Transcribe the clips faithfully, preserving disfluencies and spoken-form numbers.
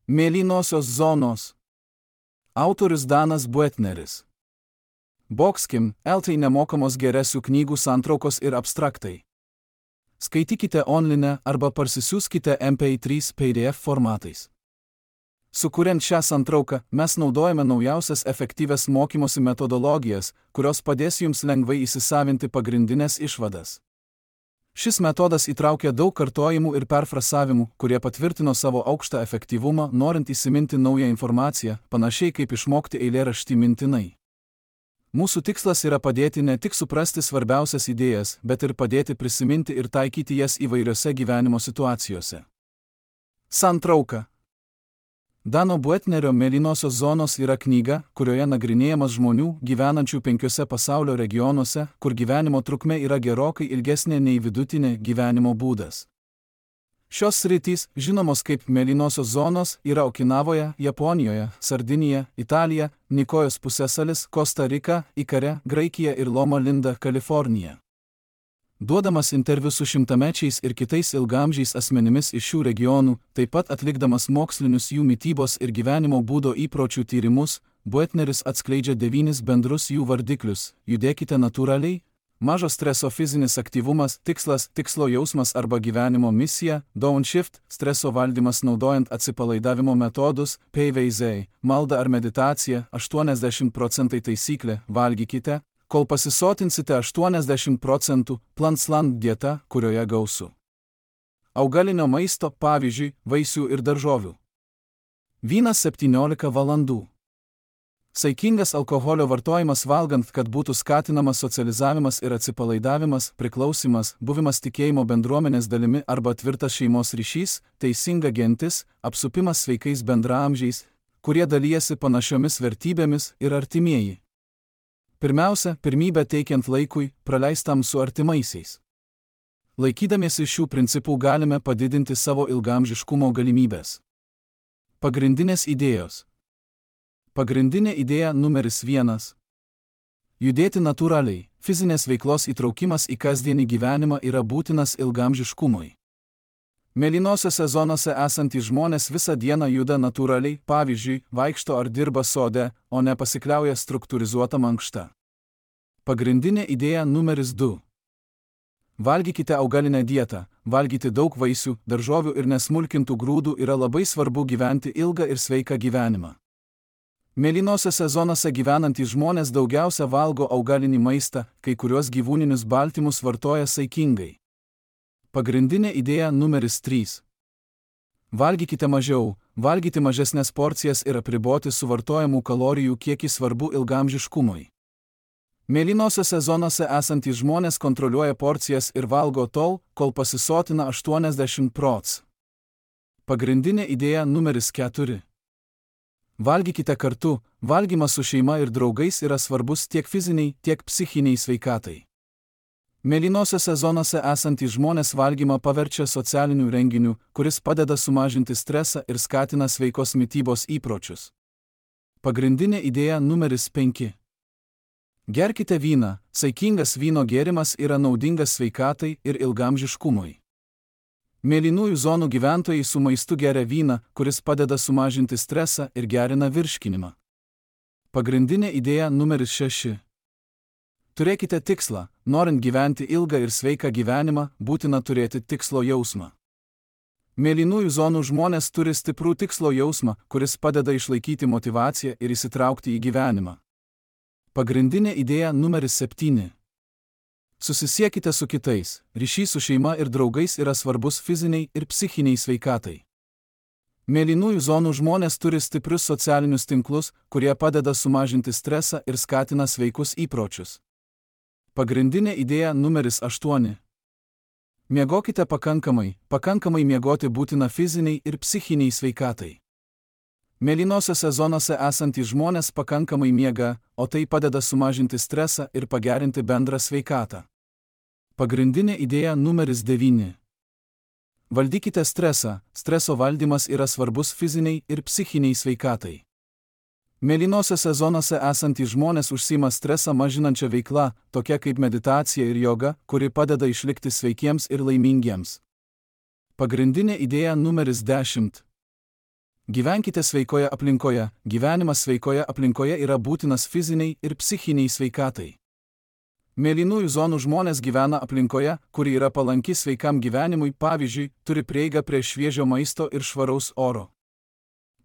Mėlynosios zonos. Autorius Danas Buetneris. Boxkim, eltai nemokamos geresių knygų santraukos ir abstraktai. Skaitykite online arba parsisiųskite M P trys P D F formatais. Sukuriant šią santrauką, mes naudojame naujausias efektyvias mokymosi metodologijas, kurios padės jums lengvai įsisavinti pagrindinės išvadas. Šis metodas įtraukia daug kartojimų ir perfrasavimų, kurie patvirtino savo aukštą efektyvumą, norint įsiminti naują informaciją, panašiai kaip išmokti eilėraštį mintinai. Mūsų tikslas yra padėti ne tik suprasti svarbiausias idėjas, bet ir padėti prisiminti ir taikyti jas įvairiose gyvenimo situacijose. Santrauka. Dano Buetnerio Mėlynosios zonos yra knyga, kurioje nagrinėjamas žmonių, gyvenančių penkiuose pasaulio regionuose, kur gyvenimo trukmė yra gerokai ilgesnė nei vidutinė gyvenimo būdas. Šios sritys, žinomos kaip Mėlynosios zonos, yra Okinavoje, Japonijoje, Sardinija, Italija, Nikojos pusiasalis, Kosta Rika, Ikare, Graikija ir Loma Linda, Kalifornija. Duodamas interviu su šimtamečiais ir kitais ilgamžiais asmenimis iš šių regionų, taip pat atlikdamas mokslinius jų mitybos ir gyvenimo būdo įpročių tyrimus, Buetneris atskleidžia devynis bendrus jų vardiklius: judėkite natūraliai, mažo streso fizinis aktyvumas, tikslas, tikslo jausmas arba gyvenimo misija, downshift, streso valdymas naudojant atsipalaidavimo metodus, P V Z, malda ar meditacija, aštuoniasdešimt procentų taisyklė, valgykite, kol pasisotinsite aštuoniasdešimt procentų, Plansland dieta, kurioje gausu augalinio maisto, pavyzdžiui, vaisių ir daržovių. Vynas septyniolika valandų. Saikingas alkoholio vartojimas valgant, kad būtų skatinamas socializavimas ir atsipalaidavimas, priklausimas, buvimas tikėjimo bendruomenės dalimi arba tvirtas šeimos ryšys, teisinga gentis, apsupimas sveikais bendraamžiais, kurie dalijasi panašiomis vertybėmis, ir artimieji. Pirmiausia, pirmybę teikiant laikui, praleistam su artimaisiais. Laikydamiesi šių principų galime padidinti savo ilgaamžiškumo galimybės. Pagrindinės idėjos. Pagrindinė idėja numeris vienas. Judėti natūraliai, fizinės veiklos įtraukimas į kasdienį gyvenimą yra būtinas ilgaamžiškumui. Mėlynosiose zonose esantys žmonės visą dieną juda natūraliai, pavyzdžiui, vaikšto ar dirba sode, o ne pasikliauja struktūrizuota mankšta. Pagrindinė idėja numeris du. Valgykite augalinę dietą, valgyti daug vaisių, daržovių ir nesmulkintų grūdų yra labai svarbu gyventi ilgą ir sveiką gyvenimą. Mėlynosiose zonose gyvenantys žmonės daugiausia valgo augalinį maistą, kai kuriuos gyvūninius baltymus vartoja saikingai. Pagrindinė idėja numeris trys. Valgykite mažiau, valgyti mažesnės porcijas ir apriboti suvartojamų kalorijų kiekį svarbu ilgaamžiškumui. Mėlynosiose zonose esantys žmonės kontroliuoja porcijas ir valgo tol, kol pasisotina aštuoniasdešimt procentų. Pagrindinė idėja numeris keturi. Valgykite kartu, valgymas su šeima ir draugais yra svarbus tiek fiziniai, tiek psichiniai sveikatai. Mėlynosiose zonose esantys žmonės valgymą paverčia socialiniu renginiu, kuris padeda sumažinti stresą ir skatina sveikos mitybos įpročius. Pagrindinė idėja numeris penki. Gerkite vyną, saikingas vyno gėrimas yra naudingas sveikatai ir ilgaamžiškumui. Mėlynųjų zonų gyventojai su maistu geria vyną, kuris padeda sumažinti stresą ir gerina virškinimą. Pagrindinė idėja numeris šeši. Turėkite tikslą, norint gyventi ilgą ir sveiką gyvenimą, būtina turėti tikslo jausmą. Mėlynųjų zonų žmonės turi stiprų tikslo jausmą, kuris padeda išlaikyti motyvaciją ir įsitraukti į gyvenimą. Pagrindinė idėja numeris septyni. Susisiekite su kitais, ryšys su šeima ir draugais yra svarbus fiziniai ir psichiniai sveikatai. Mėlynųjų zonų žmonės turi stiprius socialinius tinklus, kurie padeda sumažinti stresą ir skatina sveikus įpročius. Pagrindinė idėja numeris aštuoni. Miegokite pakankamai, pakankamai miegoti būtina fiziniai ir psichiniai sveikatai. Mėlynosiose zonose esantys žmonės pakankamai miega, o tai padeda sumažinti stresą ir pagerinti bendrą sveikatą. Pagrindinė idėja numeris devyni. Valdykite stresą, streso valdymas yra svarbus fiziniai ir psichiniai sveikatai. Mėlynosiose zonose esantys žmonės užsiima stresą mažinančią veiklą, tokia kaip meditacija ir joga, kuri padeda išlikti sveikiems ir laimingiems. Pagrindinė idėja numeris dešimt. Gyvenkite sveikoje aplinkoje. Gyvenimas sveikoje aplinkoje yra būtinas fiziniai ir psichiniai sveikatai. Mėlynųjų zonų žmonės gyvena aplinkoje, kuri yra palanki sveikam gyvenimui, pavyzdžiui, turi prieigą prie šviežio maisto ir švaraus oro.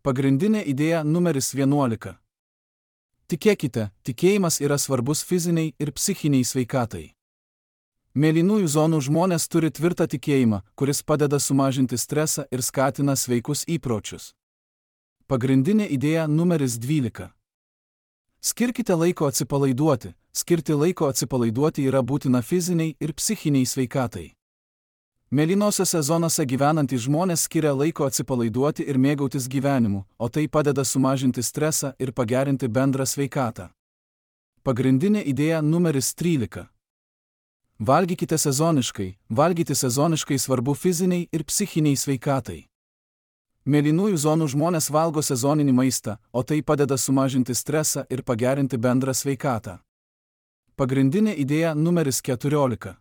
Pagrindinė idėja numeris vienuolika. Tikėkite, tikėjimas yra svarbus fiziniai ir psichiniai sveikatai. Mėlynųjų zonų žmonės turi tvirtą tikėjimą, kuris padeda sumažinti stresą ir skatina sveikus įpročius. Pagrindinė idėja numeris dvylika. Skirkite laiko atsipalaiduoti. Skirti laiko atsipalaiduoti yra būtina fiziniai ir psichiniai sveikatai. Mėlynosiose zonose gyvenantys žmonės skiria laiko atsipalaiduoti ir mėgautis gyvenimu, o tai padeda sumažinti stresą ir pagerinti bendrą sveikatą. Pagrindinė idėja numeris trylika. Valgykite sezoniškai. Valgyti sezoniškai svarbu fiziniai ir psichiniai sveikatai. Mėlynųjų zonų žmonės valgo sezoninį maistą, o tai padeda sumažinti stresą ir pagerinti bendrą sveikatą. Pagrindinė idėja numeris keturiolika.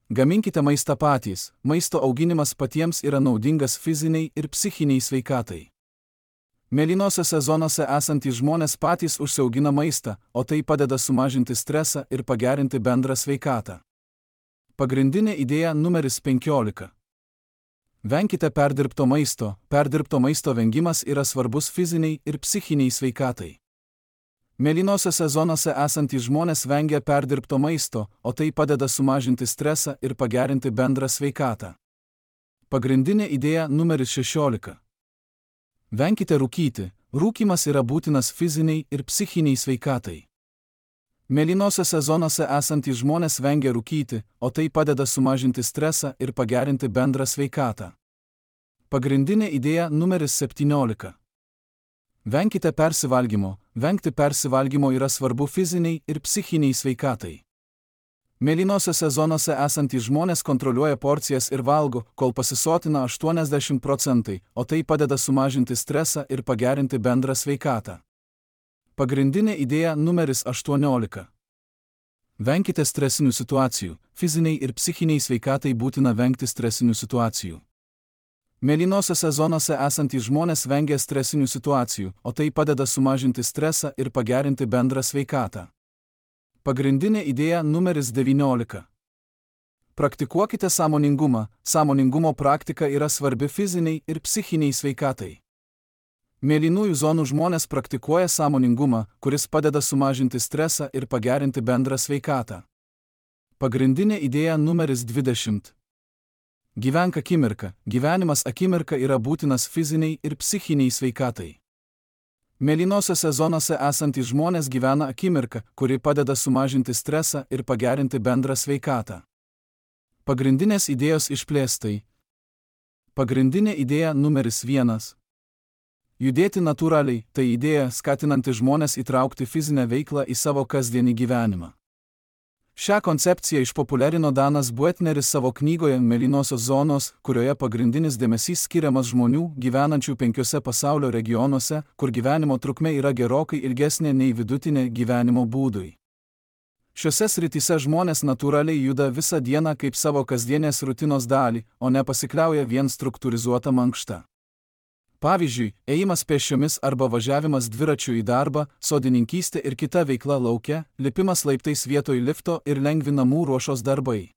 Gaminkite maistą patys. Maisto auginimas patiems yra naudingas fiziniai ir psichiniai sveikatai. Mėlynosiose zonose esantys žmonės patys užsiaugina maistą, o tai padeda sumažinti stresą ir pagerinti bendrą sveikatą. Pagrindinė idėja numeris penkiolika. Venkite perdirbto maisto. Perdirbto maisto vengimas yra svarbus fiziniai ir psichiniai sveikatai. Mėlynosiose zonose esantys žmonės vengia perdirbto maisto, o tai padeda sumažinti stresą ir pagerinti bendrą sveikatą. Pagrindinė idėja numeris šešiolika. Venkite rūkyti. Rūkymas yra būtinas fiziniai ir psichiniai sveikatai. Mėlynosiose zonose esantys žmonės vengia rūkyti, o tai padeda sumažinti stresą ir pagerinti bendrą sveikatą. Pagrindinė idėja numeris septyniolika. Venkite persivalgymo. Vengti persivalgymo yra svarbu fiziniai ir psichiniai sveikatai. Mėlynosiose zonose esantys žmonės kontroliuoja porcijas ir valgo, kol pasisotina aštuoniasdešimt procentų, o tai padeda sumažinti stresą ir pagerinti bendrą sveikatą. Pagrindinė idėja numeris aštuoniolika. Venkite stresinių situacijų. Fiziniai ir psichiniai sveikatai būtina vengti stresinių situacijų. Mėlynosiose zonose esantys žmonės vengia stresinių situacijų, o tai padeda sumažinti stresą ir pagerinti bendrą sveikatą. Pagrindinė idėja numeris devyniolika. Praktikuokite sąmoningumą. Sąmoningumo praktika yra svarbi fiziniai ir psichiniai sveikatai. Mėlynųjų zonų žmonės praktikuoja sąmoningumą, kuris padeda sumažinti stresą ir pagerinti bendrą sveikatą. Pagrindinė idėja numeris dvidešimt. Gyvenk akimirką. Gyvenimas akimirka yra būtinas fiziniai ir psichiniai sveikatai. Mėlynosiose zonose esantys žmonės gyvena akimirką, kuri padeda sumažinti stresą ir pagerinti bendrą sveikatą. Pagrindinės idėjos išplėstai. Pagrindinė idėja numeris vienas. Judėti natūraliai – tai idėja skatinanti žmones įtraukti fizinę veiklą į savo kasdienį gyvenimą. Šią koncepciją išpopuliarino Danas Buetneris savo knygoje Mėlynosios zonos, kurioje pagrindinis dėmesys skiriamas žmonių gyvenančių penkiose pasaulio regionuose, kur gyvenimo trukmė yra gerokai ilgesnė nei vidutinė gyvenimo būdui. Šiose srityse žmonės natūraliai juda visą dieną kaip savo kasdienės rutinos dalį, o ne pasikliauja vien struktūrizuota mankšta. Pavyzdžiui, ėjimas pėsčiomis arba važiavimas dviračiu į darbą, sodininkystė ir kita veikla lauke, lipimas laiptais vietoj lifto ir lengvi namų ruošos darbai.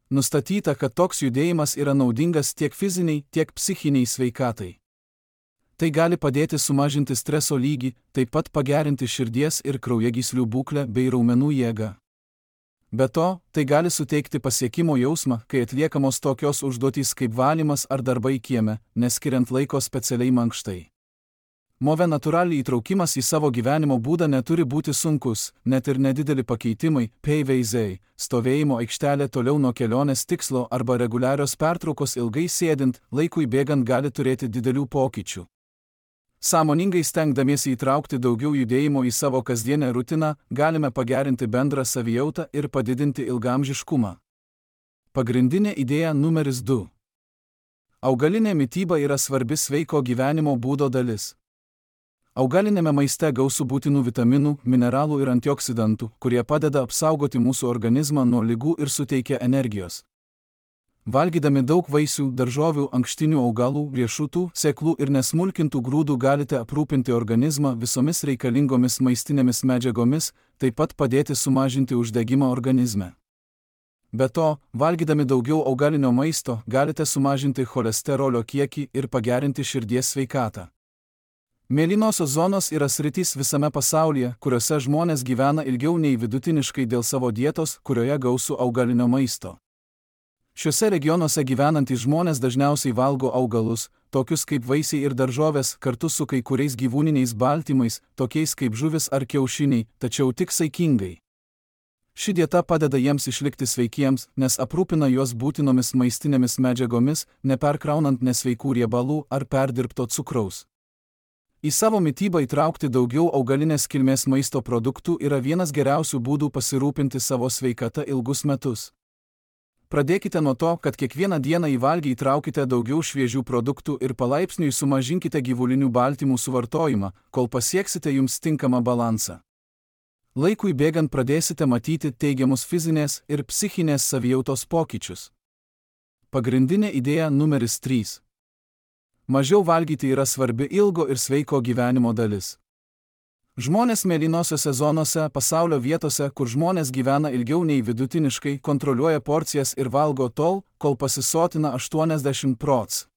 Nustatyta, kad toks judėjimas yra naudingas tiek fiziniai, tiek psichiniai sveikatai. Tai gali padėti sumažinti streso lygį, taip pat pagerinti širdies ir kraujagyslių būklę bei raumenų jėgą. Be to, tai gali suteikti pasiekimo jausmą, kai atliekamos tokios užduotys kaip valymas ar darbai kieme, neskiriant laiko specialiai mankštai. Move natūraliai įtraukimas į savo gyvenimo būdą neturi būti sunkus, net ir nedideli pakeitimai, peiveizai, stovėjimo aikštelė toliau nuo kelionės tikslo arba reguliarios pertraukos ilgai sėdint, laikui bėgant gali turėti didelių pokyčių. Sąmoningai stengdamiesi įtraukti daugiau judėjimo į savo kasdienę rutiną, galime pagerinti bendrą savijautą ir padidinti ilgaamžiškumą. Pagrindinė idėja numeris du. Augalinė mityba yra svarbi sveiko gyvenimo būdo dalis. Augalinėme maiste gausu būtinų vitaminų, mineralų ir antioksidantų, kurie padeda apsaugoti mūsų organizmą nuo ligų ir suteikia energijos. Valgydami daug vaisių, daržovių, ankštinių augalų, riešutų, sėklų ir nesmulkintų grūdų galite aprūpinti organizmą visomis reikalingomis maistinėmis medžiagomis, taip pat padėti sumažinti uždegimą organizme. Be to, valgydami daugiau augalinio maisto galite sumažinti cholesterolio kiekį ir pagerinti širdies sveikatą. Mėlynosios zonos yra sritys visame pasaulyje, kuriuose žmonės gyvena ilgiau nei vidutiniškai dėl savo dietos, kurioje gausu augalinio maisto. Šiuose regionuose gyvenantys žmonės dažniausiai valgo augalus, tokius kaip vaisiai ir daržovės, kartu su kai kuriais gyvūniniais baltymais, tokiais kaip žuvis ar kiaušiniai, tačiau tik saikingai. Ši dieta padeda jiems išlikti sveikiems, nes aprūpina juos būtinomis maistinėmis medžiagomis, neperkraunant nesveikų riebalų ar perdirbto cukraus. Į savo mitybą įtraukti daugiau augalinės kilmės maisto produktų yra vienas geriausių būdų pasirūpinti savo sveikata ilgus metus. Pradėkite nuo to, kad kiekvieną dieną į valgį įtraukite daugiau šviežių produktų ir palaipsniui sumažinkite gyvulinių baltymų suvartojimą, kol pasieksite jums tinkamą balansą. Laikui bėgant pradėsite matyti teigiamus fizinės ir psichinės savijautos pokyčius. Pagrindinė idėja numeris trys. Mažiau valgyti yra svarbi ilgo ir sveiko gyvenimo dalis. Žmonės mėlynosiose zonose, pasaulio vietose, kur žmonės gyvena ilgiau nei vidutiniškai, kontroliuoja porcijas ir valgo tol, kol pasisotina aštuoniasdešimt procentų.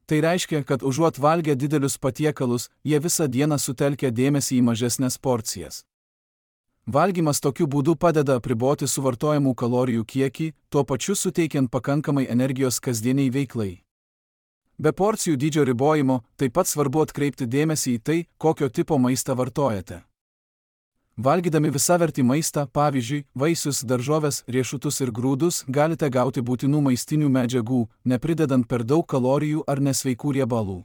Tai reiškia, kad užuot valgę didelius patiekalus, jie visą dieną sutelkia dėmesį į mažesnes porcijas. Valgymas tokiu būdu padeda apriboti suvartojamų kalorijų kiekį, tuo pačiu suteikiant pakankamai energijos kasdieniai veiklai. Be porcijų dydžio ribojimo, taip pat svarbu atkreipti dėmesį į tai, kokio tipo maistą vartojate. Valgydami visavertį maistą, pavyzdžiui, vaisius, daržoves, riešutus ir grūdus, galite gauti būtinų maistinių medžiagų, nepridedant per daug kalorijų ar nesveikų riebalų.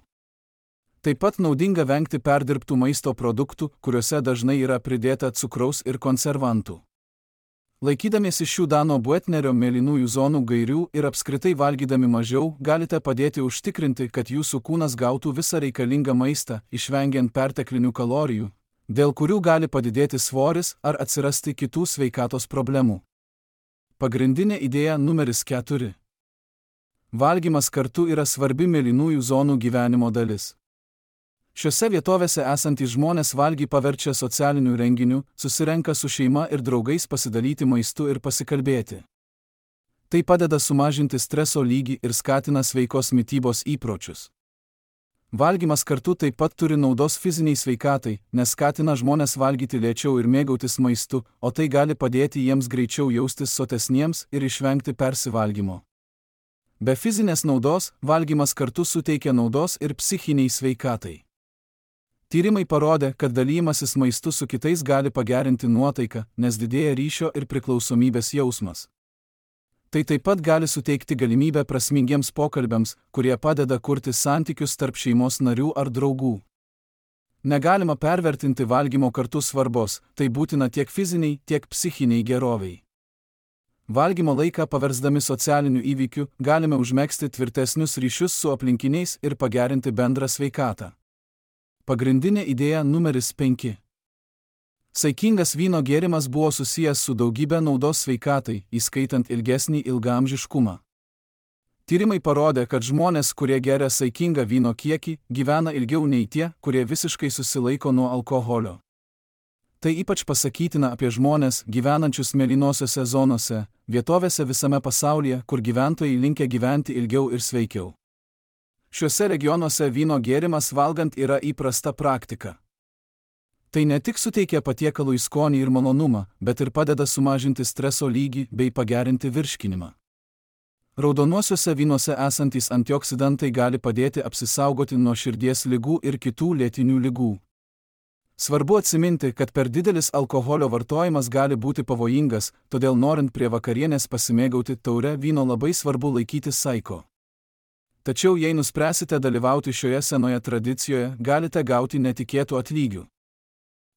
Taip pat naudinga vengti perdirbtų maisto produktų, kuriuose dažnai yra pridėta cukraus ir konservantų. Laikydamiesi šių Dano Buetnerio mėlynųjų zonų gairių ir apskritai valgydami mažiau, galite padėti užtikrinti, kad jūsų kūnas gautų visą reikalingą maistą, išvengiant perteklinių kalorijų, dėl kurių gali padidėti svoris ar atsirasti kitų sveikatos problemų. Pagrindinė idėja numeris keturi. Valgymas kartu yra svarbi mėlynųjų zonų gyvenimo dalis. Šiose vietovėse esantys žmonės valgį paverčia socialiniu renginiu, susirenka su šeima ir draugais pasidalyti maistu ir pasikalbėti. Tai padeda sumažinti streso lygį ir skatina sveikos mitybos įpročius. Valgymas kartu taip pat turi naudos fiziniai sveikatai, nes skatina žmonės valgyti lėčiau ir mėgautis maistu, o tai gali padėti jiems greičiau jaustis sotesniems ir išvengti persivalgymo. Be fizinės naudos, valgymas kartu suteikia naudos ir psichiniai sveikatai. Tyrimai parodė, kad dalymasis maistu su kitais gali pagerinti nuotaiką, nes didėja ryšio ir priklausomybės jausmas. Tai taip pat gali suteikti galimybę prasmingiems pokalbiams, kurie padeda kurti santykius tarp šeimos narių ar draugų. Negalima pervertinti valgymo kartu svarbos, tai būtina tiek fiziniai, tiek psichiniai geroviai. Valgymo laiką paversdami socialiniu įvykiu, galime užmegzti tvirtesnius ryšius su aplinkiniais ir pagerinti bendrą sveikatą. Pagrindinė idėja numeris penki. Saikingas vyno gėrimas buvo susijęs su daugybė naudos sveikatai, įskaitant ilgesnį ilgaamžiškumą. Tyrimai parodė, kad žmonės, kurie geria saikingą vyno kiekį, gyvena ilgiau nei tie, kurie visiškai susilaiko nuo alkoholio. Tai ypač pasakytina apie žmonės, gyvenančius mėlynosiose zonose, vietovėse visame pasaulyje, kur gyventojai linkę gyventi ilgiau ir sveikiau. Šiuose regionuose vyno gėrimas valgant yra įprasta praktika. Tai ne tik suteikia patiekalui skonį ir malonumą, bet ir padeda sumažinti streso lygį bei pagerinti virškinimą. Raudonuosiuose vynuose esantys antioksidantai gali padėti apsisaugoti nuo širdies ligų ir kitų lėtinių ligų. Svarbu atsiminti, kad per didelis alkoholio vartojimas gali būti pavojingas, todėl norint prie vakarienės pasimėgauti taure vyno labai svarbu laikytis saiko. Tačiau jei nuspręsite dalyvauti šioje senoje tradicijoje, galite gauti netikėtų atlygių.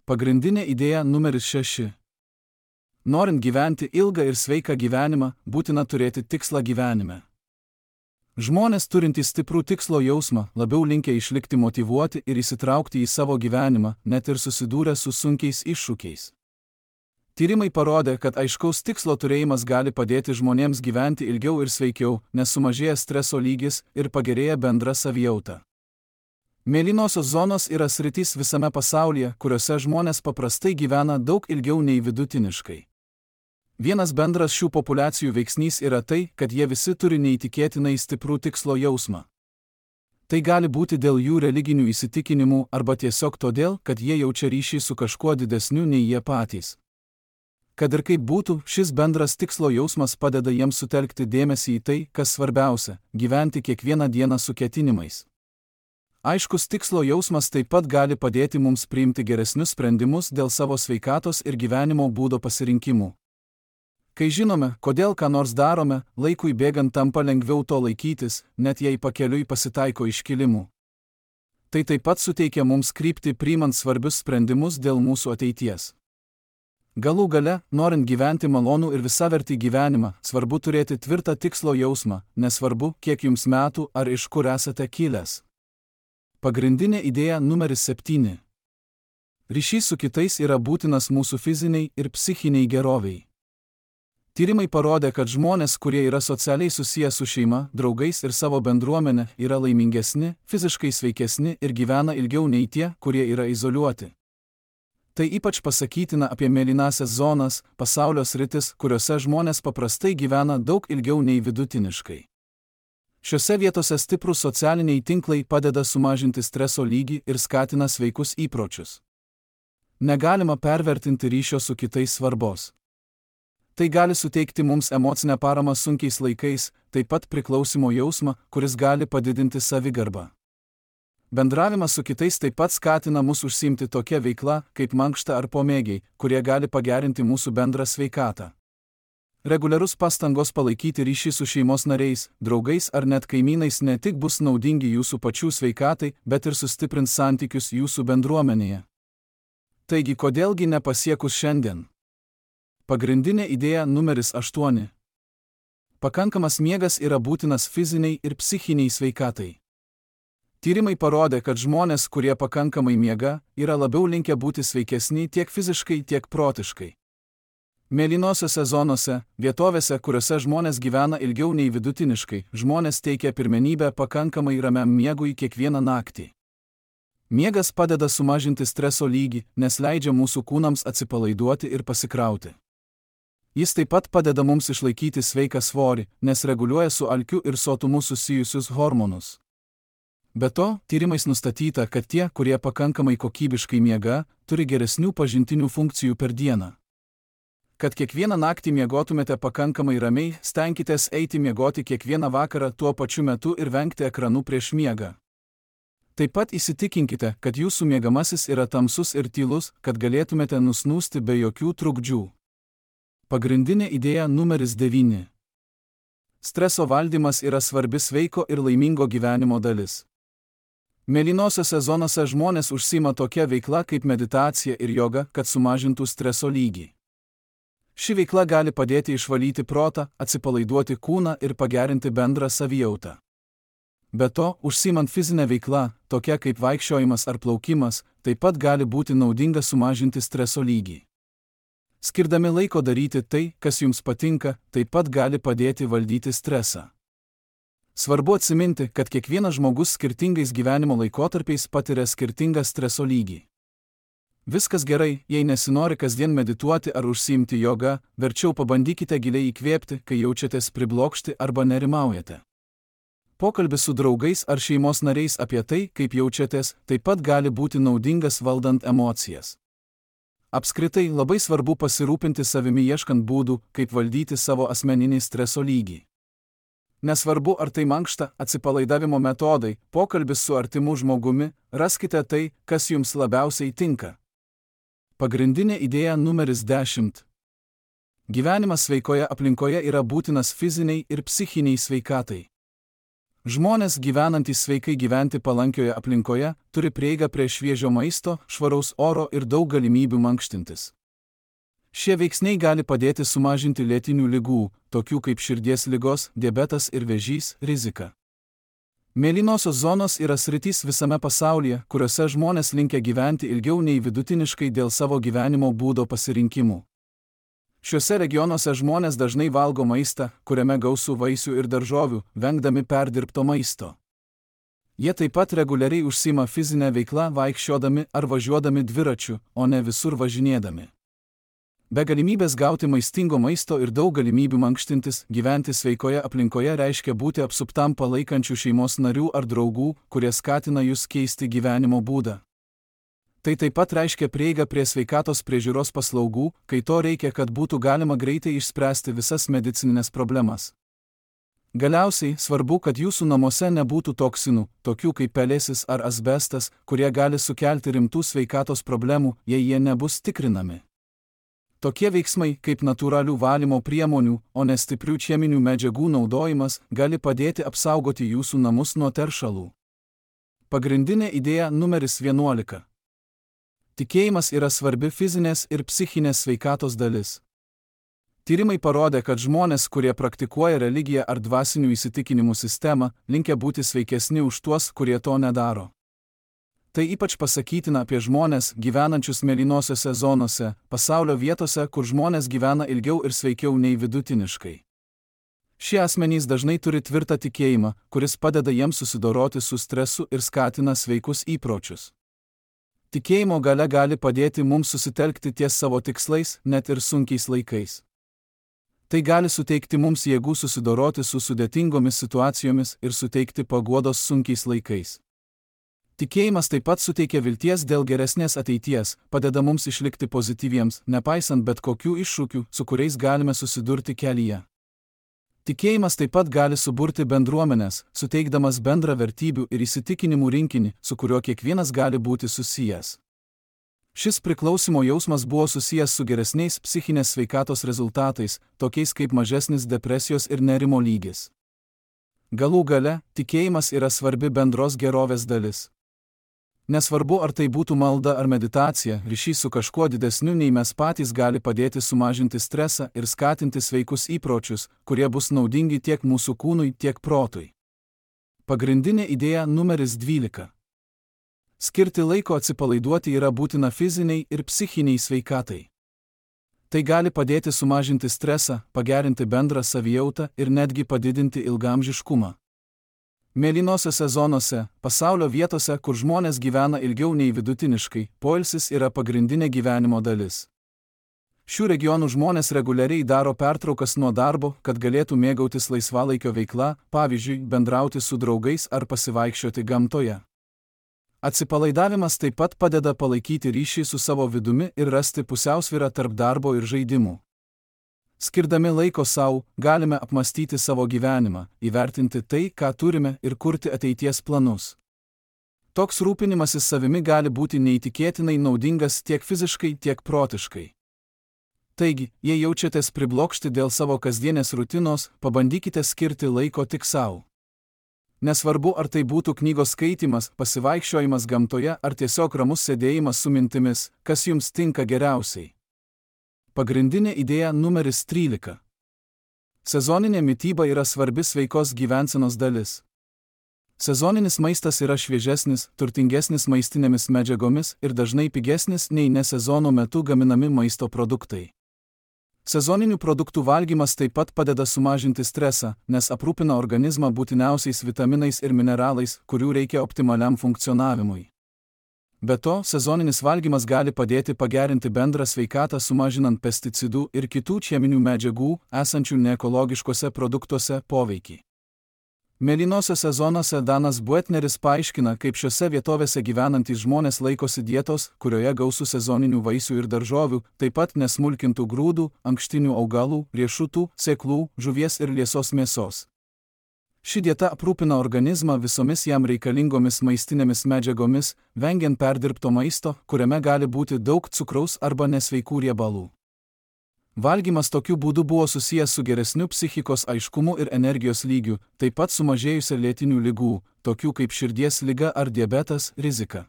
Pagrindinė idėja numeris šeši. Norint gyventi ilgą ir sveiką gyvenimą, būtina turėti tikslą gyvenime. Žmonės turintys stiprų tikslo jausmą, labiau linkę išlikti motyvuoti ir įsitraukti į savo gyvenimą, net ir susidūrę su sunkiais iššūkiais. Tyrimai parodė, kad aiškaus tikslo turėjimas gali padėti žmonėms gyventi ilgiau ir sveikiau, nes sumažėja streso lygis ir pagerėja bendra savijauta. Mėlynosios zonos yra sritys visame pasaulyje, kuriuose žmonės paprastai gyvena daug ilgiau nei vidutiniškai. Vienas bendras šių populiacijų veiksnys yra tai, kad jie visi turi neįtikėtinai stiprų tikslo jausmą. Tai gali būti dėl jų religinių įsitikinimų arba tiesiog todėl, kad jie jaučia ryšį su kažkuo didesniu nei jie patys. Kad ir kaip būtų, šis bendras tikslo jausmas padeda jiems sutelkti dėmesį į tai, kas svarbiausia – gyventi kiekvieną dieną su ketinimais. Aiškus tikslo jausmas taip pat gali padėti mums priimti geresnius sprendimus dėl savo sveikatos ir gyvenimo būdo pasirinkimų. Kai žinome, kodėl ką nors darome, laikui bėgant tampa lengviau to laikytis, net jei pakeliui pasitaiko iškilimų. Tai taip pat suteikia mums kryptį priimant svarbius sprendimus dėl mūsų ateities. Galų gale, norint gyventi malonų ir visavertį gyvenimą, svarbu turėti tvirtą tikslo jausmą, nesvarbu, kiek jums metų ar iš kur esate kilęs. Pagrindinė idėja numeris septyni. Ryšys su kitais yra būtinas mūsų fiziniai ir psichiniai geroviai. Tyrimai parodė, kad žmonės, kurie yra socialiai susiję su šeima, draugais ir savo bendruomenė, yra laimingesni, fiziškai sveikesni ir gyvena ilgiau nei tie, kurie yra izoliuoti. Tai ypač pasakytina apie mėlynąsias zonas, pasaulio sritis, kuriuose žmonės paprastai gyvena daug ilgiau nei vidutiniškai. Šiose vietose stiprūs socialiniai tinklai padeda sumažinti streso lygį ir skatina sveikus įpročius. Negalima pervertinti ryšio su kitais svarbos. Tai gali suteikti mums emocinę paramą sunkiais laikais, taip pat priklausimo jausmą, kuris gali padidinti savigarbą. Bendravimas su kitais taip pat skatina mus užsiimti tokia veikla, kaip mankšta ar pomėgiai, kurie gali pagerinti mūsų bendrą sveikatą. Reguliarus pastangos palaikyti ryšį su šeimos nariais, draugais ar net kaimynais ne tik bus naudingi jūsų pačių sveikatai, bet ir sustiprins santykius jūsų bendruomenėje. Taigi, kodėlgi nepasiekus šiandien? Pagrindinė idėja numeris aštuoni. Pakankamas miegas yra būtinas fiziniai ir psichiniai sveikatai. Tyrimai parodė, kad žmonės, kurie pakankamai miega, yra labiau linkę būti sveikesni tiek fiziškai, tiek protiškai. Mėlynosiose zonose, vietovėse, kuriuose žmonės gyvena ilgiau nei vidutiniškai, žmonės teikia pirmenybę pakankamai ramiam miegui kiekvieną naktį. Miegas padeda sumažinti streso lygį, nes leidžia mūsų kūnams atsipalaiduoti ir pasikrauti. Jis taip pat padeda mums išlaikyti sveiką svorį, nes reguliuoja su alkiu ir sotumu susijusius hormonus. Be to, tyrimais nustatyta, kad tie, kurie pakankamai kokybiškai miega, turi geresnių pažintinių funkcijų per dieną. Kad kiekvieną naktį miegotumėte pakankamai ramiai, stenkitės eiti miegoti kiekvieną vakarą tuo pačiu metu ir vengti ekranų prieš miegą. Taip pat įsitikinkite, kad jūsų miegamasis yra tamsus ir tylus, kad galėtumėte nusnūsti be jokių trukdžių. Pagrindinė idėja numeris devyni. Streso valdymas yra svarbi sveiko ir laimingo gyvenimo dalis. Mėlynosiose zonose žmonės užsiima tokia veikla kaip meditacija ir joga, kad sumažintų streso lygį. Ši veikla gali padėti išvalyti protą, atsipalaiduoti kūną ir pagerinti bendrą savijautą. Be to, užsiimant fizinę veiklą, tokia kaip vaikščiojimas ar plaukimas, taip pat gali būti naudinga sumažinti streso lygį. Skirdami laiko daryti tai, kas jums patinka, taip pat gali padėti valdyti stresą. Svarbu atsiminti, kad kiekvienas žmogus skirtingais gyvenimo laikotarpiais patiria skirtingą streso lygį. Viskas gerai, jei nesinori kasdien medituoti ar užsiimti joga, verčiau pabandykite giliai įkvėpti, kai jaučiatės priblokšti arba nerimaujate. Pokalbis su draugais ar šeimos nariais apie tai, kaip jaučiatės, taip pat gali būti naudingas valdant emocijas. Apskritai, labai svarbu pasirūpinti savimi ieškant būdų, kaip valdyti savo asmeninį streso lygį. Nesvarbu, ar tai mankšta, atsipalaidavimo metodai, pokalbis su artimu žmogumi, raskite tai, kas jums labiausiai tinka. Pagrindinė idėja numeris dešimt. Gyvenimas sveikoje aplinkoje yra būtinas fiziniai ir psichiniai sveikatai. Žmonės gyvenantys sveikai gyventi palankioje aplinkoje turi prieigą prie šviežio maisto, švaraus oro ir daug galimybių mankštintis. Šie veiksniai gali padėti sumažinti lėtinių ligų, tokių kaip širdies ligos, diabetas ir vėžys, riziką. Mėlynosios zonos yra sritys visame pasaulyje, kuriuose žmonės linkę gyventi ilgiau nei vidutiniškai dėl savo gyvenimo būdo pasirinkimų. Šiuose regionuose žmonės dažnai valgo maistą, kuriame gausu vaisių ir daržovių, vengdami perdirbto maisto. Jie taip pat reguliariai užsiima fizinę veiklą vaikščiodami ar važiuodami dviračiu, o ne visur važinėdami. Be galimybės gauti maistingo maisto ir daug galimybių mankštintis, gyventi sveikoje aplinkoje reiškia būti apsuptam palaikančių šeimos narių ar draugų, kurie skatina jūs keisti gyvenimo būdą. Tai taip pat reiškia prieigą prie sveikatos priežiūros paslaugų, kai to reikia, kad būtų galima greitai išspręsti visas medicininės problemas. Galiausiai, svarbu, kad jūsų namuose nebūtų toksinų, tokių kaip pelėsis ar asbestas, kurie gali sukelti rimtų sveikatos problemų, jei jie nebus tikrinami. Tokie veiksmai, kaip natūralių valymo priemonių, o ne stiprių cheminių medžiagų naudojimas, gali padėti apsaugoti jūsų namus nuo teršalų. Pagrindinė idėja numeris vienuolika. Tikėjimas yra svarbi fizinės ir psichinės sveikatos dalis. Tyrimai parodė, kad žmonės, kurie praktikuoja religiją ar dvasinių įsitikinimų sistemą, linkę būti sveikesni už tuos, kurie to nedaro. Tai ypač pasakytina apie žmonės, gyvenančius mėlynosiose zonose, pasaulio vietose, kur žmonės gyvena ilgiau ir sveikiau nei vidutiniškai. Šie asmenys dažnai turi tvirtą tikėjimą, kuris padeda jiems susidoroti su stresu ir skatina sveikus įpročius. Tikėjimo galia gali padėti mums susitelkti ties savo tikslais, net ir sunkiais laikais. Tai gali suteikti mums jėgų susidoroti su sudėtingomis situacijomis ir suteikti paguodos sunkiais laikais. Tikėjimas taip pat suteikia vilties dėl geresnės ateities, padeda mums išlikti pozityviems, nepaisant bet kokių iššūkių, su kuriais galime susidurti kelyje. Tikėjimas taip pat gali suburti bendruomenės, suteikdamas bendrą vertybių ir įsitikinimų rinkinį, su kuriuo kiekvienas gali būti susijęs. Šis priklausimo jausmas buvo susijęs su geresniais psichinės sveikatos rezultatais, tokiais kaip mažesnis depresijos ir nerimo lygis. Galų gale, tikėjimas yra svarbi bendros gerovės dalis. Nesvarbu, ar tai būtų malda ar meditacija, ryšys su kažkuo didesniu nei mes patys gali padėti sumažinti stresą ir skatinti sveikus įpročius, kurie bus naudingi tiek mūsų kūnui, tiek protui. Pagrindinė idėja numeris dvylika. Skirti laiko atsipalaiduoti yra būtina fiziniai ir psichiniai sveikatai. Tai gali padėti sumažinti stresą, pagerinti bendrą savijautą ir netgi padidinti ilgaamžiškumą. Mėlynosiose zonose, pasaulio vietose, kur žmonės gyvena ilgiau nei vidutiniškai, poilsis yra pagrindinė gyvenimo dalis. Šių regionų žmonės reguliariai daro pertraukas nuo darbo, kad galėtų mėgautis laisvalaikio veikla, pavyzdžiui, bendrauti su draugais ar pasivaikščioti gamtoje. Atsipalaidavimas taip pat padeda palaikyti ryšį su savo vidumi ir rasti pusiausvyrą tarp darbo ir žaidimų. Skirdami laiko savo, galime apmastyti savo gyvenimą, įvertinti tai, ką turime ir kurti ateities planus. Toks rūpinimasis savimi gali būti neįtikėtinai naudingas tiek fiziškai, tiek protiškai. Taigi, jei jaučiatės priblokšti dėl savo kasdienės rutinos, pabandykite skirti laiko tik savo. Nesvarbu, ar tai būtų knygos skaitymas, pasivaikščiojimas gamtoje ar tiesiog ramus sėdėjimas su mintimis, kas jums tinka geriausiai. Pagrindinė idėja numeris trylika. Sezoninė mityba yra svarbi sveikos gyvensenos dalis. Sezoninis maistas yra šviežesnis, turtingesnis maistinėmis medžiagomis ir dažnai pigesnis nei ne sezono metu gaminami maisto produktai. Sezoninių produktų valgymas taip pat padeda sumažinti stresą, nes aprūpina organizmą būtiniausiais vitaminais ir mineralais, kurių reikia optimaliam funkcionavimui. Be to, sezoninis valgymas gali padėti pagerinti bendrą sveikatą sumažinant pesticidų ir kitų cheminių medžiagų, esančių neekologiškose produktuose, poveikį. Mėlynosiose zonose Danas Buetneris paaiškina, kaip šiose vietovėse gyvenantys žmonės laikosi dietos, kurioje gausu sezoninių vaisių ir daržovių, taip pat nesmulkintų grūdų, ankštinių augalų, riešutų, sėklų, žuvies ir liesos mėsos. Ši dieta aprūpina organizmą visomis jam reikalingomis maistinėmis medžiagomis, vengiant perdirbto maisto, kuriame gali būti daug cukraus arba nesveikų riebalų. Valgymas tokiu būdu buvo susijęs su geresniu psichikos aiškumu ir energijos lygiu, taip pat sumažėjusia lėtinių ligų, tokių kaip širdies liga ar diabetas, rizika.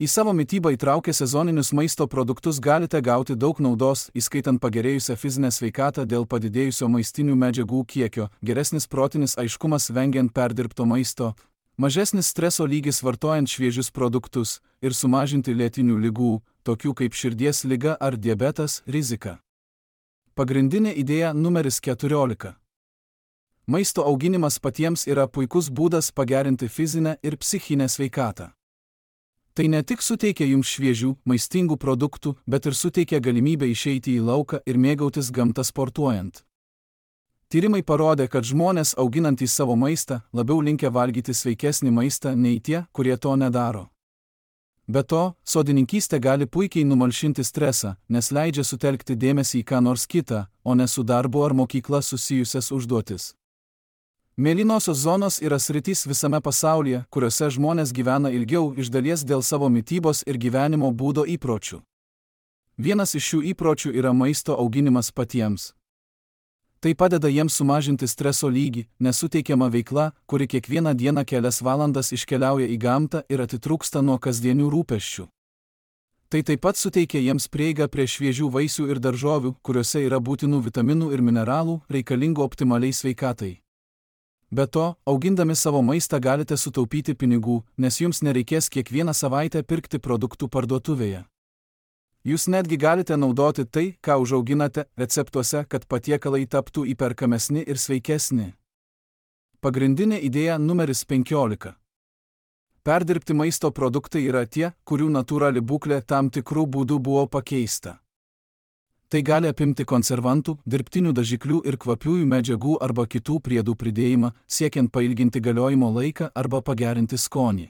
Į savo mitybą įtraukę sezoninius maisto produktus galite gauti daug naudos, įskaitant pagerėjusią fizinę sveikatą dėl padidėjusio maistinių medžiagų kiekio, geresnis protinis aiškumas vengiant perdirbto maisto, mažesnis streso lygis vartojant šviežius produktus ir sumažinti lėtinių ligų, tokių kaip širdies liga ar diabetas, rizika. Pagrindinė idėja numeris keturiolika. Maisto auginimas patiems yra puikus būdas pagerinti fizinę ir psichinę sveikatą. Tai ne tik suteikia jums šviežių, maistingų produktų, bet ir suteikia galimybę išeiti į lauką ir mėgautis gamtą sportuojant. Tyrimai parodė, kad žmonės auginantys savo maistą labiau linkę valgyti sveikesnį maistą nei tie, kurie to nedaro. Be to, sodininkystė gali puikiai numalšinti stresą, nes leidžia sutelkti dėmesį į ką nors kitą, o ne su darbu ar mokykla susijusias užduotis. Mėlynosios zonos yra sritys visame pasaulyje, kuriuose žmonės gyvena ilgiau iš dalies dėl savo mitybos ir gyvenimo būdo įpročių. Vienas iš šių įpročių yra maisto auginimas patiems. Tai padeda jiems sumažinti streso lygį, nes suteikiama veikla, kuri kiekvieną dieną kelias valandas iškeliauja į gamtą ir atitrūksta nuo kasdienių rūpesčių. Tai taip pat suteikia jiems prieigą prie šviežių vaisių ir daržovių, kuriuose yra būtinų vitaminų ir mineralų, reikalingų optimaliai sveikatai. Be to, augindami savo maistą galite sutaupyti pinigų, nes jums nereikės kiekvieną savaitę pirkti produktų parduotuvėje. Jūs netgi galite naudoti tai, ką užauginate, receptuose, kad patiekalai taptų įperkamesni ir sveikesni. Pagrindinė idėja numeris penkiolika. Perdirbti maisto produktai yra tie, kurių natūrali būklė tam tikrų būdų buvo pakeista. Tai gali apimti konservantų, dirbtinių dažiklių ir kvapiųjų medžiagų arba kitų priedų pridėjimą, siekiant pailginti galiojimo laiką arba pagerinti skonį.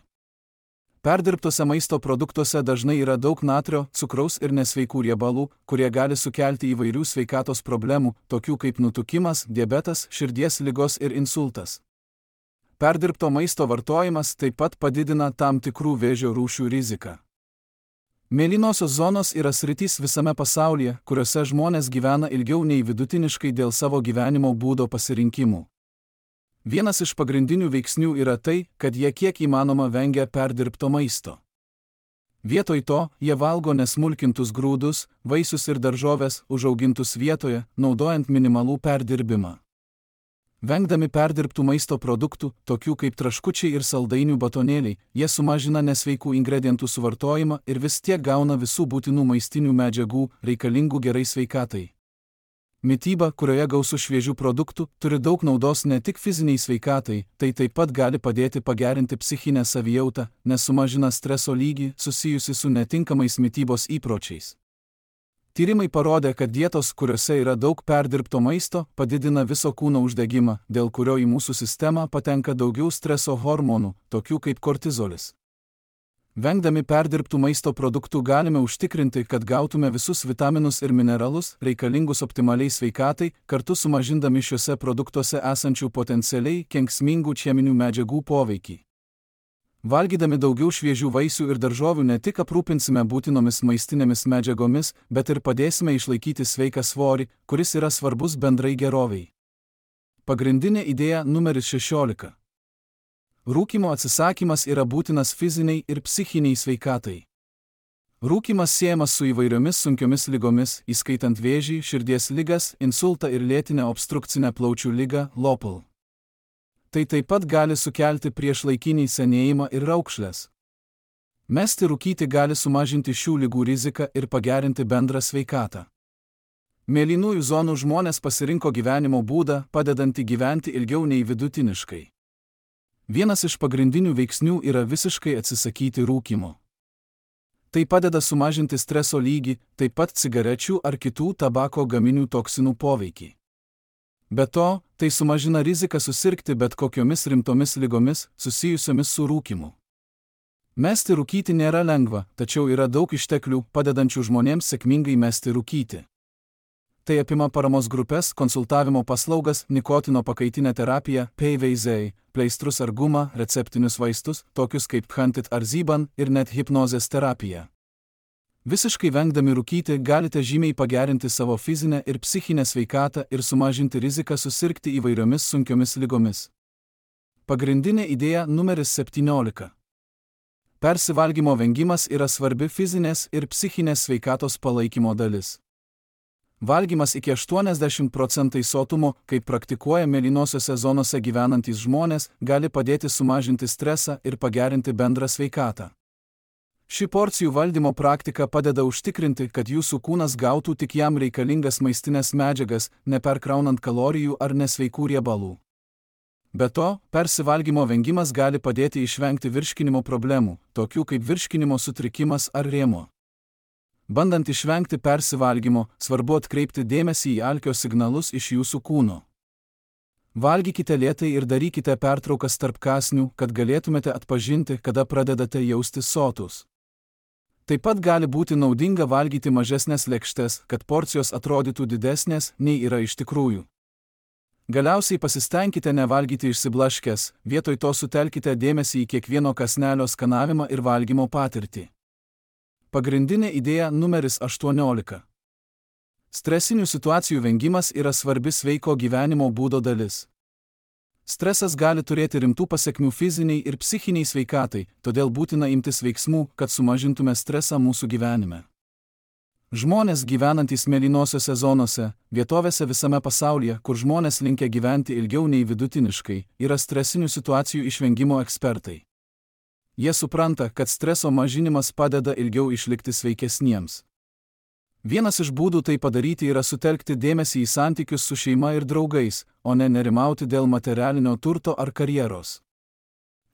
Perdirbtose maisto produktuose dažnai yra daug natrio, cukraus ir nesveikų riebalų, kurie gali sukelti įvairių sveikatos problemų, tokių kaip nutukimas, diabetas, širdies ligos ir insultas. Perdirbto maisto vartojimas taip pat padidina tam tikrų vėžio rūšių riziką. Mėlynosios zonos yra sritys visame pasaulyje, kuriuose žmonės gyvena ilgiau nei vidutiniškai dėl savo gyvenimo būdo pasirinkimų. Vienas iš pagrindinių veiksnių yra tai, kad jie kiek įmanoma vengia perdirbto maisto. Vietoj to, jie valgo nesmulkintus grūdus, vaisius ir daržoves, užaugintus vietoje, naudojant minimalų perdirbimą. Vengdami perdirbtų maisto produktų, tokių kaip traškučiai ir saldainių batonėliai, jie sumažina nesveikų ingredientų suvartojimą ir vis tiek gauna visų būtinų maistinių medžiagų, reikalingų gerai sveikatai. Mityba, kurioje gausu šviežių produktų, turi daug naudos ne tik fiziniai sveikatai, tai taip pat gali padėti pagerinti psichinę savijautą, nes sumažina streso lygį susijusi su netinkamais mitybos įpročiais. Tyrimai parodė, kad dietos, kuriuose yra daug perdirbto maisto, padidina viso kūno uždegimą, dėl kurio į mūsų sistemą patenka daugiau streso hormonų, tokių kaip kortizolis. Vengdami perdirbtų maisto produktų galime užtikrinti, kad gautume visus vitaminus ir mineralus, reikalingus optimaliai sveikatai, kartu sumažindami šiuose produktuose esančių potencialiai kenksmingų cheminių medžiagų poveikį. Valgydami daugiau šviežių vaisių ir daržovių ne tik aprūpinsime būtinomis maistinėmis medžiagomis, bet ir padėsime išlaikyti sveiką svorį, kuris yra svarbus bendrai geroviai. Pagrindinė idėja numeris šešiolika. Rūkymo atsisakymas yra būtinas fiziniai ir psichiniai sveikatai. Rūkymas siejamas su įvairiomis sunkiomis ligomis, įskaitant vėžį, širdies ligas, insultą ir lėtinę obstrukcinę plaučių ligą L O P L. Tai taip pat gali sukelti priešlaikinį senėjimą ir raukšles. Mesti rūkyti gali sumažinti šių ligų riziką ir pagerinti bendrą sveikatą. Mėlynųjų zonų žmonės pasirinko gyvenimo būdą, padedantį gyventi ilgiau nei vidutiniškai. Vienas iš pagrindinių veiksnių yra visiškai atsisakyti rūkymo. Tai padeda sumažinti streso lygį, taip pat cigarečių ar kitų tabako gaminių toksinų poveikį. Be to, tai sumažina riziką susirgti bet kokiomis rimtomis ligomis susijusiomis su rūkymu. Mesti rūkyti nėra lengva, tačiau yra daug išteklių, padedančių žmonėms sėkmingai mesti rūkyti. Tai apima paramos grupės, konsultavimo paslaugas, nikotino pakaitinę terapiją, P V Z, pleistrus ar gumą, receptinius vaistus, tokius kaip Phantit ar Zyban, ir net hipnozės terapiją. Visiškai vengdami rūkyti galite žymiai pagerinti savo fizinę ir psichinę sveikatą ir sumažinti riziką susirgti įvairiomis sunkiomis ligomis. Pagrindinė idėja numeris septyniolika. Persivalgymo vengimas yra svarbi fizinės ir psichinės sveikatos palaikymo dalis. Valgymas iki aštuoniasdešimt procentų sotumo, kaip praktikuoja mėlynosiose zonose gyvenantys žmonės, gali padėti sumažinti stresą ir pagerinti bendrą sveikatą. Ši porcijų valdymo praktika padeda užtikrinti, kad jūsų kūnas gautų tik jam reikalingas maistinės medžiagas, neperkraunant kalorijų ar nesveikų riebalų. Be to, persivalgymo vengimas gali padėti išvengti virškinimo problemų, tokių kaip virškinimo sutrikimas ar rėmuo. Bandant išvengti persivalgymo, svarbu atkreipti dėmesį į alkio signalus iš jūsų kūno. Valgykite lėtai ir darykite pertraukas tarp kąsnių, kad galėtumėte atpažinti, kada pradedate jaustis sotus. Taip pat gali būti naudinga valgyti mažesnės lėkštes, kad porcijos atrodytų didesnės, nei yra iš tikrųjų. Galiausiai pasistengkite nevalgyti išsiblaškęs, vietoj to sutelkite dėmesį į kiekvieno kąsnelio skanavimą ir valgymo patirtį. Pagrindinė idėja numeris aštuoniolika. Stresinių situacijų vengimas yra svarbi sveiko gyvenimo būdo dalis. Stresas gali turėti rimtų pasekmių fiziniai ir psichiniai sveikatai, todėl būtina imtis veiksmų, kad sumažintume stresą mūsų gyvenime. Žmonės gyvenantys mėlynosiose zonose, vietovėse visame pasaulyje, kur žmonės linkę gyventi ilgiau nei vidutiniškai, yra stresinių situacijų išvengimo ekspertai. Jie supranta, kad streso mažinimas padeda ilgiau išlikti sveikesniems. Vienas iš būdų tai padaryti yra sutelkti dėmesį į santykius su šeima ir draugais, o ne nerimauti dėl materialinio turto ar karjeros.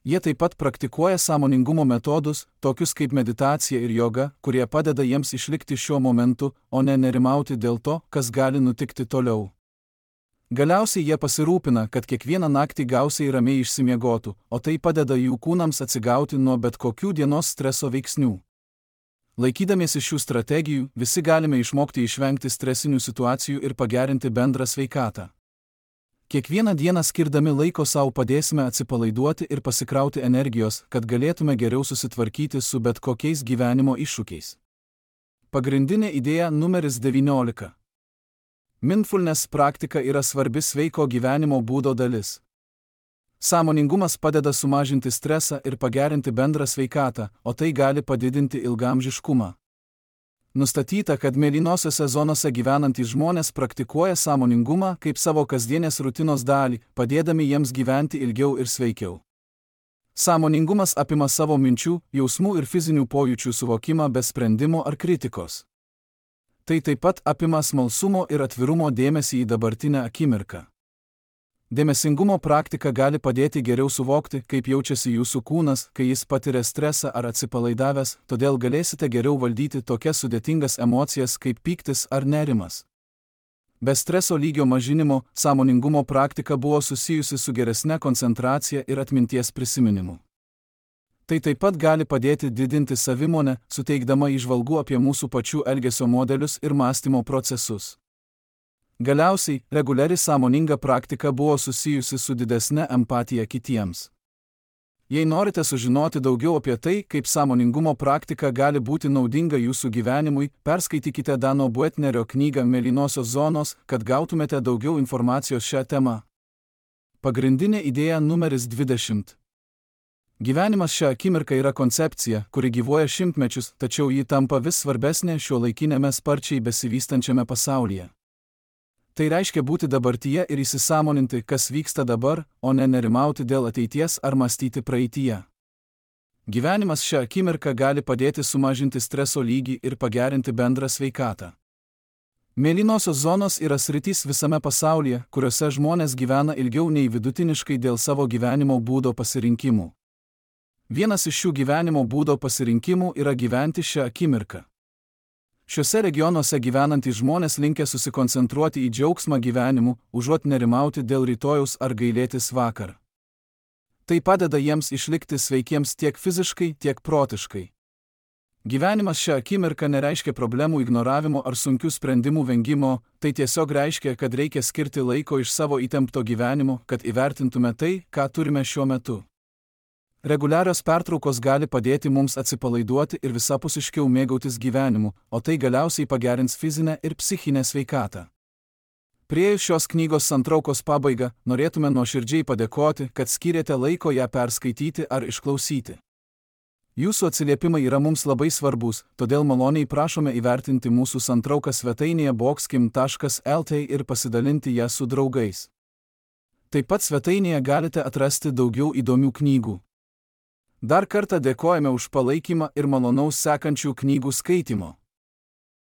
Jie taip pat praktikuoja sąmoningumo metodus, tokius kaip meditacija ir joga, kurie padeda jiems išlikti šiuo momentu, o ne nerimauti dėl to, kas gali nutikti toliau. Galiausiai jie pasirūpina, kad kiekvieną naktį gausiai ramiai išsimiegotų, o tai padeda jų kūnams atsigauti nuo bet kokių dienos streso veiksnių. Laikydamiesi šių strategijų, visi galime išmokti išvengti stresinių situacijų ir pagerinti bendrą sveikatą. Kiekvieną dieną skirdami laiko sau padėsime atsipalaiduoti ir pasikrauti energijos, kad galėtume geriau susitvarkyti su bet kokiais gyvenimo iššūkiais. Pagrindinė idėja numeris devyniolika. Mindfulness praktika yra svarbi sveiko gyvenimo būdo dalis. Sąmoningumas padeda sumažinti stresą ir pagerinti bendrą sveikatą, o tai gali padidinti ilgaamžiškumą. Nustatyta, kad mėlynosiose zonose gyvenantys žmonės praktikuoja sąmoningumą kaip savo kasdienės rutinos dalį, padėdami jiems gyventi ilgiau ir sveikiau. Sąmoningumas apima savo minčių, jausmų ir fizinių pojūčių suvokimą be sprendimo ar kritikos. Tai taip pat apima smalsumo ir atvirumo dėmesį į dabartinę akimirką. Dėmesingumo praktika gali padėti geriau suvokti, kaip jaučiasi jūsų kūnas, kai jis patiria stresą ar atsipalaidavęs, todėl galėsite geriau valdyti tokias sudėtingas emocijas kaip pyktis ar nerimas. Be streso lygio mažinimo, sąmoningumo praktika buvo susijusi su geresne koncentracija ir atminties prisiminimu. Tai taip pat gali padėti didinti savimonę, suteikdama įžvalgų apie mūsų pačių elgesio modelius ir mąstymo procesus. Galiausiai, reguliari sąmoninga praktika buvo susijusi su didesne empatija kitiems. Jei norite sužinoti daugiau apie tai, kaip sąmoningumo praktika gali būti naudinga jūsų gyvenimui, perskaitykite Dano Buetnerio knygą Mėlynosios zonos, kad gautumėte daugiau informacijos šią temą. Pagrindinė idėja numeris dvidešimt. Gyvenimas šią akimirką yra koncepcija, kuri gyvuoja šimtmečius, tačiau ji tampa vis svarbesnė šiuolaikinėme sparčiai besivystančiame pasaulyje. Tai reiškia būti dabartyje ir įsisąmoninti, kas vyksta dabar, o ne nerimauti dėl ateities ar mąstyti praeityje. Gyvenimas šią akimirką gali padėti sumažinti streso lygį ir pagerinti bendrą sveikatą. Mėlynosios zonos yra sritys visame pasaulyje, kuriuose žmonės gyvena ilgiau nei vidutiniškai dėl savo gyvenimo būdo pasirinkimų. Vienas iš šių gyvenimo būdo pasirinkimų yra gyventi šią akimirką. Šiuose regionuose gyvenantys žmonės linkę susikoncentruoti į džiaugsmą gyvenimu, užuot nerimauti dėl rytojaus ar gailėtis vakar. Tai padeda jiems išlikti sveikiems tiek fiziškai, tiek protiškai. Gyvenimas šią akimirką nereiškia problemų ignoravimo ar sunkių sprendimų vengimo, tai tiesiog reiškia, kad reikia skirti laiko iš savo įtempto gyvenimo, kad įvertintume tai, ką turime šiuo metu. Reguliarios pertraukos gali padėti mums atsipalaiduoti ir visapusiškiau mėgautis gyvenimu, o tai galiausiai pagerins fizinę ir psichinę sveikatą. Priėjus šios knygos santraukos pabaigą, norėtume nuoširdžiai padėkoti, kad skyrėte laiko ją perskaityti ar išklausyti. Jūsų atsiliepimai yra mums labai svarbus, todėl maloniai prašome įvertinti mūsų santrauką svetainėje boxkim taškas lt ir pasidalinti ją su draugais. Taip pat svetainėje galite atrasti daugiau įdomių knygų. Dar kartą dėkojame už palaikymą ir malonaus sekančių knygų skaitimo.